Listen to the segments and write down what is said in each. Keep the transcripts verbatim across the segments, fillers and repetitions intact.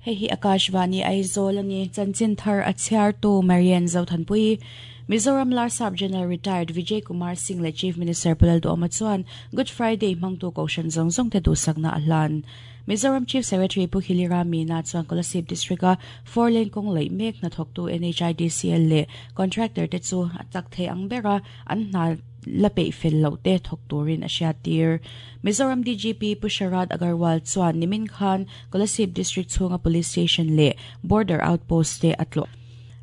Hei Akashvani Aizawl ani chanchin thar a chhiar tu Marian Zothanpui Mizoram Larsap General Retired Vijay Kumar Singh le Chief Minister Pu Lalduhoma chuan Good Friday hmangtu kohhran zawng zawng te duhsakna a hlan. Mizoram Chief Secretary Pu Hilira Meena chuan Kolasib District a four lane kawng laih mek hnathawktu N H I D C L leh contractor te chu a chak thei ang bera an hna la peih fel loh te thawk turin a hriat tir. Mizoram D G P Pu Sharad Agarwal chuan nimin khan Kolasib District chhunga police station leh border outpost te a tlawh.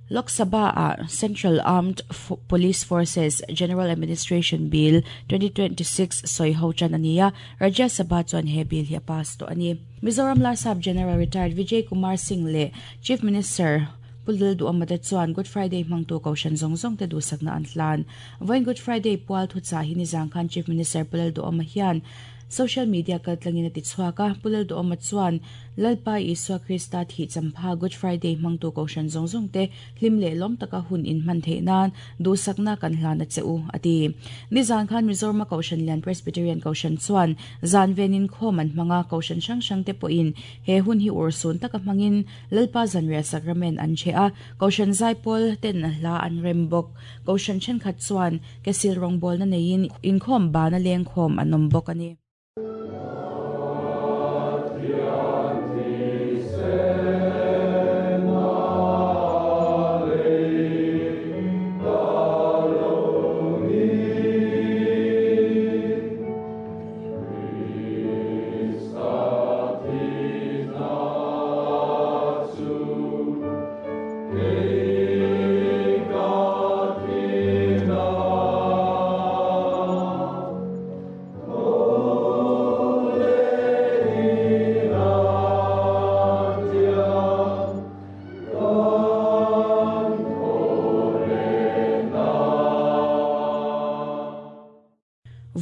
Lok Sabha a Central Armed Police Forces General Administration Bill twenty twenty-six soi ho chan ania Rajya Sabha chuan he bill hi a pass to ani. Mizoram Larsap General Retired Vijay Kumar Singh le Chief Minister Pu Lalduhoma te chuan Good Friday hmangtu kohhran zawng zawng te duhsakna an hlan. Vawiin Good Friday pual thu cha hi nizang khan Chief Minister Pu Lalduhoma hian social media kaltlangin a ti chhuak a. Pu Lalduhoma chuan Lalpa Isua Krista thi champha Good Friday hmangtu kohhran zawng zawng te hlim leh lawm taka hun in hman theih nan duhsakna kan hlan a che u ati. Nizan khan Mizoram kohhran lian Presbyterian kohhran chuan zan venin khawm an hmanga kohhran hrang hrang te pawhin he hun hi ursun taka hmangin Lalpa zanriah sacrament an che a. Kohhran zaipawl ten hla an rem bawk. Kohhran thenkhat chuan kesil rawngbawlna neiin inkhawm bana leng khawm an awm bawk ani.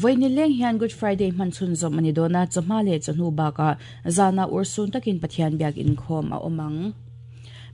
Voini leng hian Good Friday hman chhun zawm ani dawna chawhma leh chawhnu bakah zana ursun takin Pathian biak inkhawm a awm.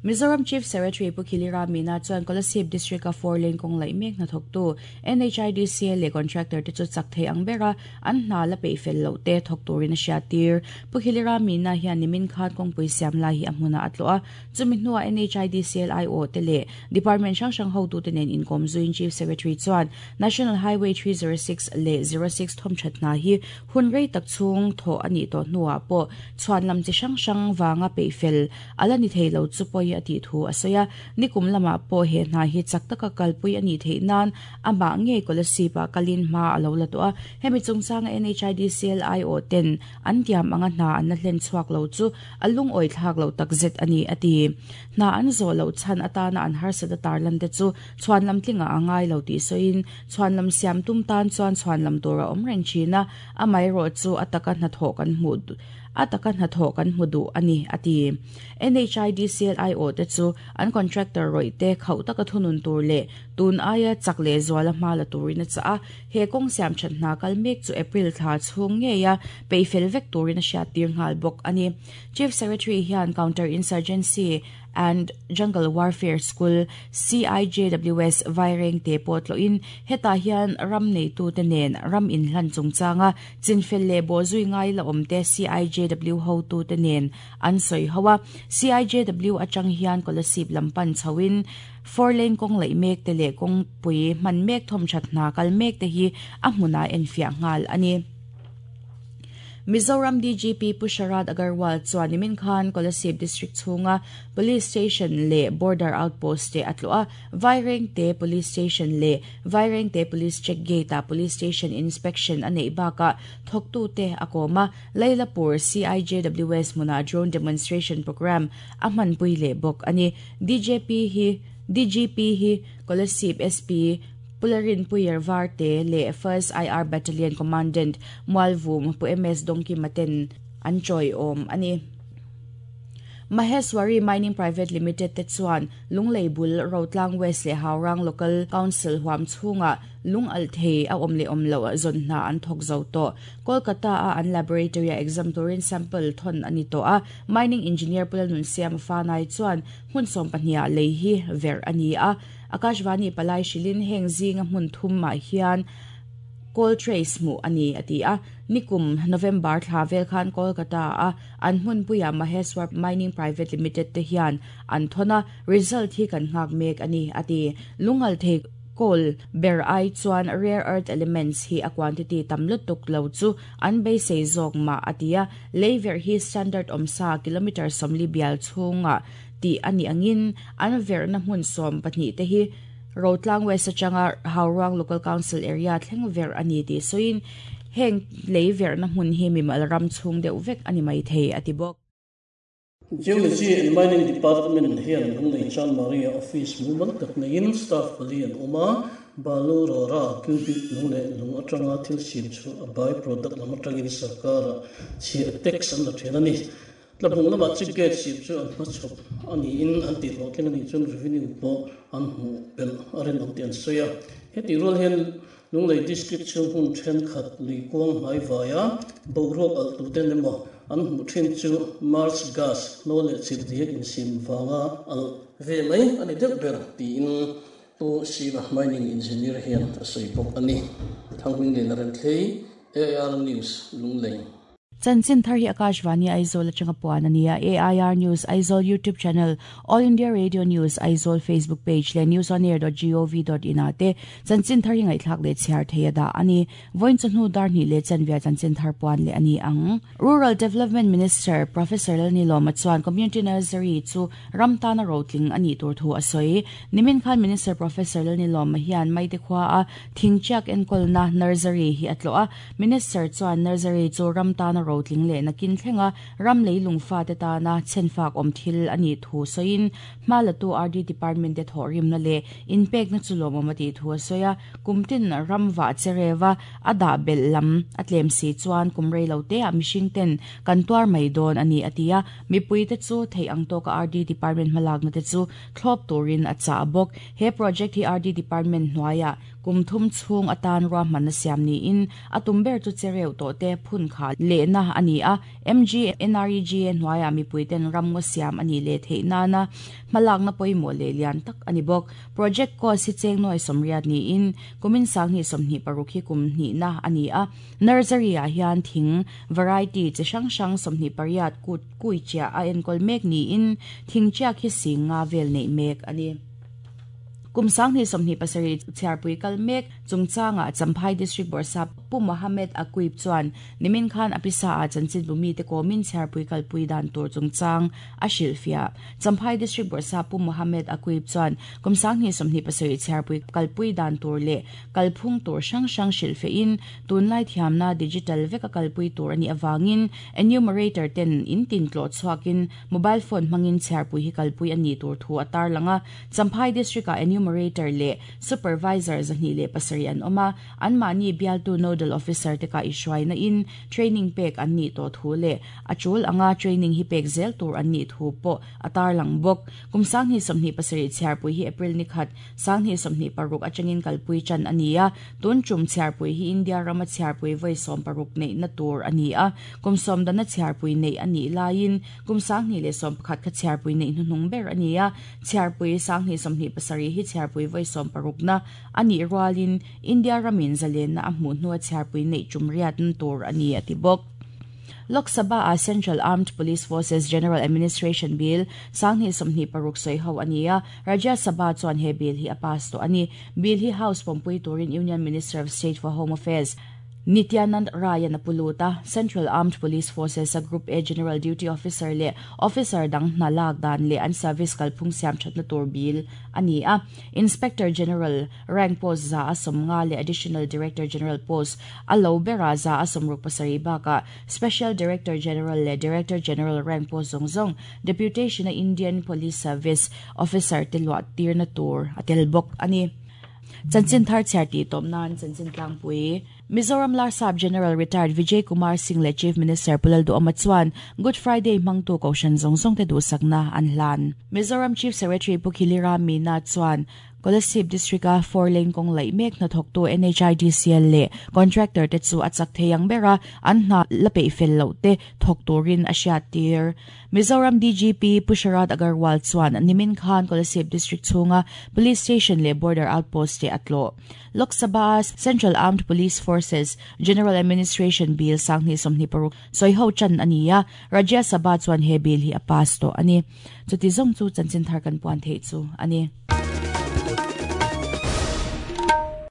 Mizoram Chief Secretary Pu Khilira Meena chuan Kolasib District a four lane kawng laih mek hnathawktu N H I D C L leh contractor te chu chak thei ang bera an hna la peih fel loh te thawk turin a hriat tir. Pu Khilira Meena hian nimin khan kawngpui siam lai hi a hmunah a tlawh a. Chumi hnuah N H I D C L I O te leh Department hrang hrang hotu te nen inkawm zuin Chief Secretary chuan National Highway three zero six leh zero six thawm that hna hi hun rei tak chhung thaw ani tawh hnuah pawh chhuan lam chi hrang hrang wanga peih fel ala ni thei lo chu pawh a ti thu a sawi a. Nikum lama pawh he hna hi chak taka kalpui ani theih nan amah nge Kolasib a kalin hma a lo la tawh a. Hemi chungchanga N H I D C L I O ten an tiam anga hna an la hlen chhuak lo chu a lungawi thlak lo takzet ani ati. Hna an zawh loh chhan atana an harsat a tarlan te chu chhuan lam tlinga a ngai lo tih sawiin chhuan lam siam tum tan chuan chhuan lam tur a awm reng thin a. Amah erawh chu a taka hnathawh kan hmuh a taka hnathawh kan hmu duh ani ati. N H I D C L I O te chu an contractor rawih te khauh taka thunun tur leh tun aia chak leh zuala hma la turin a chah a. He kawng siam that hna kal mek chu April thla chhung ngei a peih fel vek turin a hriat tir nghal bawk ani. Chief Secretary hian Counter Insurgency and Jungle Warfare School C I J W S Vaireng te pawh tlawhin hetah hian ram neitu te nen ram inhlan chungchanga chinfel leh bawhzui ngai la awm te C I J W hotu te nen an sawi ho a. C I J W atang hian Kolasib lampan chhoin four lane kawng laih mek te leh kawngpui hman mek thawm that hna kal mek te hi a hmunah enfiah nghal ani. Mizoram D G P Pu Sharad Agarwal chuan nimin khan Kolasib District chhunga Police Station leh Border Outpost te a tlawh a. Vairengte Police Station leh Vairengte Police Check Gate a Police Station Inspection a neih bakah thawktu te a kawm a. Lailapur C I J W S hmunah drone demonstration program a hmanpui leh bawk ani. D J P hi D G P hi Kolasib S P Pularin Puyer Varte le First I R Battalion Commandant Mualvum Pu M S Dongki Maten an choi om ani. Maheswari Mining Private Limited te chuan Lunglei bul Rotlang West le Haurang Local Council huam chhunga lung al thei a awm le awm lo a zawn hna an thawk zo tawh. Kolkata a an laboratory a exam turin sample thon ani tawh a. Mining engineer Pulanun Siam Fanai chuan hmun sawm pahnih lei hi ver ani a. Akashvani palai shilin heng zinga hmun thum ma hian Coal trace mu ani ati a nikum November thla vel khan Kolkata a an hmun puia Maheswar Mining Private Limited te hian an thona result hi kan ngak mek ani ati lungal the coal ber ai chuan rare earth elements hi a quantity tamlutuk lo chu an be sei zok ma atia leiver hi standard omsa kilometer somli bial chunga ti ani angin an ver na hmun som pahnih te hi Rotlang West atanga Hauruang Local Council area thleng ver ani ti soin heng leiver na hmun hi mimal ram chung deuh vek ani mai thei ati bok. Geology and Mining Department hian Lunglei Chan Maria Office mumal tak neiin staff pali an awm a, balu rora cubic lung leh lung atanga thil siam chu a by product lam atangin sarkara chhiah tax an la then a ni. Tlabung lamah chi gate siam chu an hmachhawp a niin an tih hlawh thleng a nih chuan revenue pawh an hmuh belh a rinawm tih an sawi a. Heti rual hian Lunglei District chhung hun thenkhat lui kuang hnai vaia boruak alh tuten emaw an hmuh thin chu Mars gas hnaw leh chirhdiak insiam vanga alh ve mai a ni deuh ber tiin Pu Siva Mining Engineer hian a sawi bawk a ni. Thanghuing Lian a Remthlei, A I R News, Lunglei. Chanchin thar hi Akashvani Aizawl atanga puan ania. A I R News Aizawl YouTube channel, All India Radio News Aizawl Facebook page leh newsonair dot gov dot in ah te chanchin thar hi ngaihthlak leh chhiar thei a dah ani. Vawiin chawhnu dar hnih leh chanvia chanchin thar puan leh ani ang. Rural Development Minister Professor Lalnilawma chuan Community Nursery chu ram tana rotling ani tur thu a sawi. Nimin khan Minister Professor Lalnilawma hian maite khua a thingchiak enkawlna nursery hi a tlawh a. Minister chuan nursery chu ram tana rotling leh nakin thlenga ram leilung fa te tana chenfak awm thil ani thu sawiin hmalatu R D Department te thawh rimna leh inpek na chu lawmawm a tih thu a sawi a. Kumtin ram va cherewa a dah belh lam a tlem si chuan kumrei lo te a mihring ten kan tuar mai dawn ani atia. Mipui te chu thei ang tawka R D Department hmalak na te chu thlawp turin a cha bawk. He project hi R D Department hnuaia kumthum chhung atan ruahman na siam niin a tum ber chu chereu to te phun kha le na ani a. M G N R E G hnuaia mipui ten ramngaw siam ani le thei nana hmalak na pawimawh leh lian tak ani bawk. Project cost hi cheng nawi sawmriat niin kumin sanghnih sawmhnih paruk hi kum hnih na ani a. Nursery ah hian thing variety chi hrang hrang sawmhnih pariat kut kui chiah a enkawl mek niin thing chiak hi singa vel nei mek ani. Kum sanghnih sawmhnih pasarih chhiarpui kal mek chungchanga Champhai District Borsap Pu Mohammed Akuip chuan nimin khan apisa a chanchin bumi te komin chhiarpui kalpui dan tur chungchang a hrilhfiah. Champhai District Borsap Pu Mohammed Akuip chuan kum sanghnih sawmhnih pasarih chhiarpui kalpui dan tur leh kalphung tur hrang hrang hrilhfiahin tunlai thiamna digital veka kalpui tur ani awangin enumerator ten in tin tlawh chhuakin mobile phone hmangin chhiarpui hi kalpui ani tur thu a tarlanga. Champhai District a enumerator le supervisor zahni le pasari an oma an mani bialtu nodal officer te ka ishwai na in training pek an ni to thu le achul anga training hi pek zel tur an ni thu po atar lang bok. Kum sanghi somni pasari chhiarpui hi April ni khat sanghi somni paruk atangin kalpui chan ania. Tun chum chhiarpui hi India rama chhiarpui voi som paruk nei na tur ania. Kum som dana chhiarpui nei ani lain kum sanghi le som pakhat kha chhiarpui nei hnung ber ania. Chhiarpui sanghi somni pasari hi chhiarpui voi som paruk na ani rualin India ramin zalen na a hmuh hnua chhiarpui nei chumriat tur ani ati bawk. Lok Sabha a Central Armed Police Forces General Administration Bill sanghi somhnih paruk sawi ho ania. Rajya Sabha chuan he bill hi a pass to ani. Bill hi House pompui turin Union Minister of State for Home Affairs Nityanand Raya na puluta. Central Armed Police Forces a Group A General Duty Officer le Officer dang nalag dan le an service kalphung siam that na tur bill ani a. Inspector General rank post za asom nga le Additional Director General post alo bera za asom ruk pasari baka Special Director General le Director General rank post zong zong deputation na Indian Police Service Officer tilwa tir na tur atel bok ani. Chanchin thar chhiar ti tawp nan chanchin tlangpui. Mizoram Larsap General Retired Vijay Kumar Singh le Chief Minister Pu Lalduhoma chuan Good Friday hmangtu kohhran zawng zawng te duhsakna an hlan. Mizoram Chief Secretary Pu Khilira Meena chuan Kolasib District a four lane kawng laih mek hnathawktu N H I D C L leh contractor te chu a chak thei ang bera an hna la peih fel loh te thawk turin a hriattir. Mizoram D G P Pu Sharad Agarwal chuan nimin khan Kolasib District chhunga police station leh border outpost te a tlawh. Lok Sabha Central Armed Police Forces General Administration Bill sanghnih sawmhnih paruk sawiho chan ani a, Rajya Sabha chuan he bill hi a pass to ani. Chuti zawng chu chanchin thar kan puan thei chu ani.